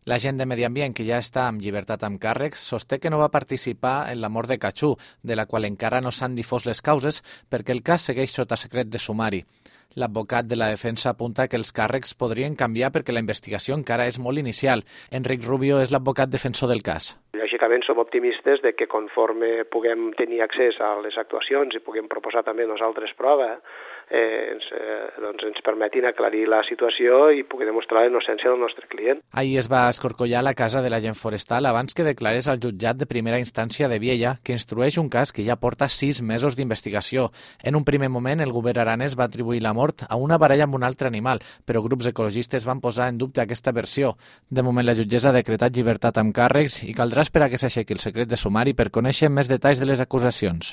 L'agent de Medi Ambient, que ja està amb llibertat amb càrrecs, sosté que no va participar en la mort de Cachú, de la qual encara no s'han difós les causes perquè el cas segueix sota secret de sumari. L'advocat de la defensa apunta que els càrrecs podrien canviar perquè la investigació encara és molt inicial. Enric Rubio és l'advocat defensor del cas. Lògicament som optimistes de que conforme puguem tenir accés a les actuacions i puguem proposar també nosaltres prova, ens permetin aclarir la situació i pugui demostrar la innocència del nostre client. Ahir es va escorcollar la casa de l'agent forestal abans que declarés al jutjat de primera instància de Viella, que instrueix un cas que ja porta 6 mesos d'investigació. En un primer moment, el govern aranès va atribuir la mort a una baralla amb un altre animal, però grups ecologistes van posar en dubte aquesta versió. De moment, la jutgessa ha decretat llibertat amb càrrecs i caldrà esperar que s'aixequi el secret de sumari per conèixer més detalls de les acusacions.